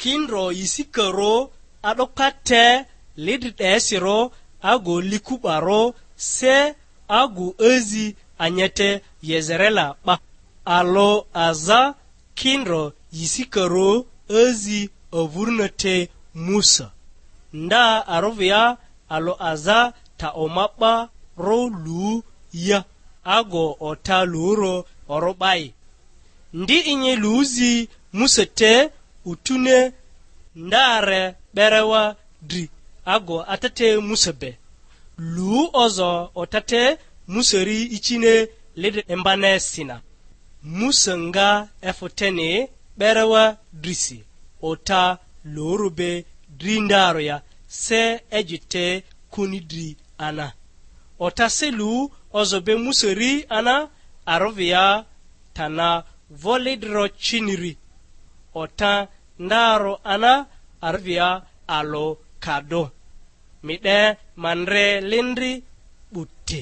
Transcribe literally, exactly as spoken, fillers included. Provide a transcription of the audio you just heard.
Kindro yisikarᴜ, a'dokpa te lidri 'desirᴜ, agu liku'barᴜ, se agu azi anyete Yezerela 'ba. Alᴜ aza kindro yisikarᴜ azi avurᴜna te Musa. Nda arᴜvᴜ ya alᴜ aza ta oma 'ba ro lu ya, ago ota lurᴜ orᴜ 'bayi. Ndi inyi luzi Musa te utune ndare 'berewa dri, ago atete Musa be. Lu ozo otate Musa ri icine lidri imbanesina. Musa nga efᴜ teni 'berewa drisi, ota lurᴜ be dri ndarᴜ ya, se eji te kuni dri ana. Ota se lu ozo be Musa ri ana, arᴜvᴜ ya tana voli dro ciniri. Ota ndarᴜ ana, arᴜvᴜ ya alᴜ kadᴜ. Mi 'de ma ndre lindri 'buti.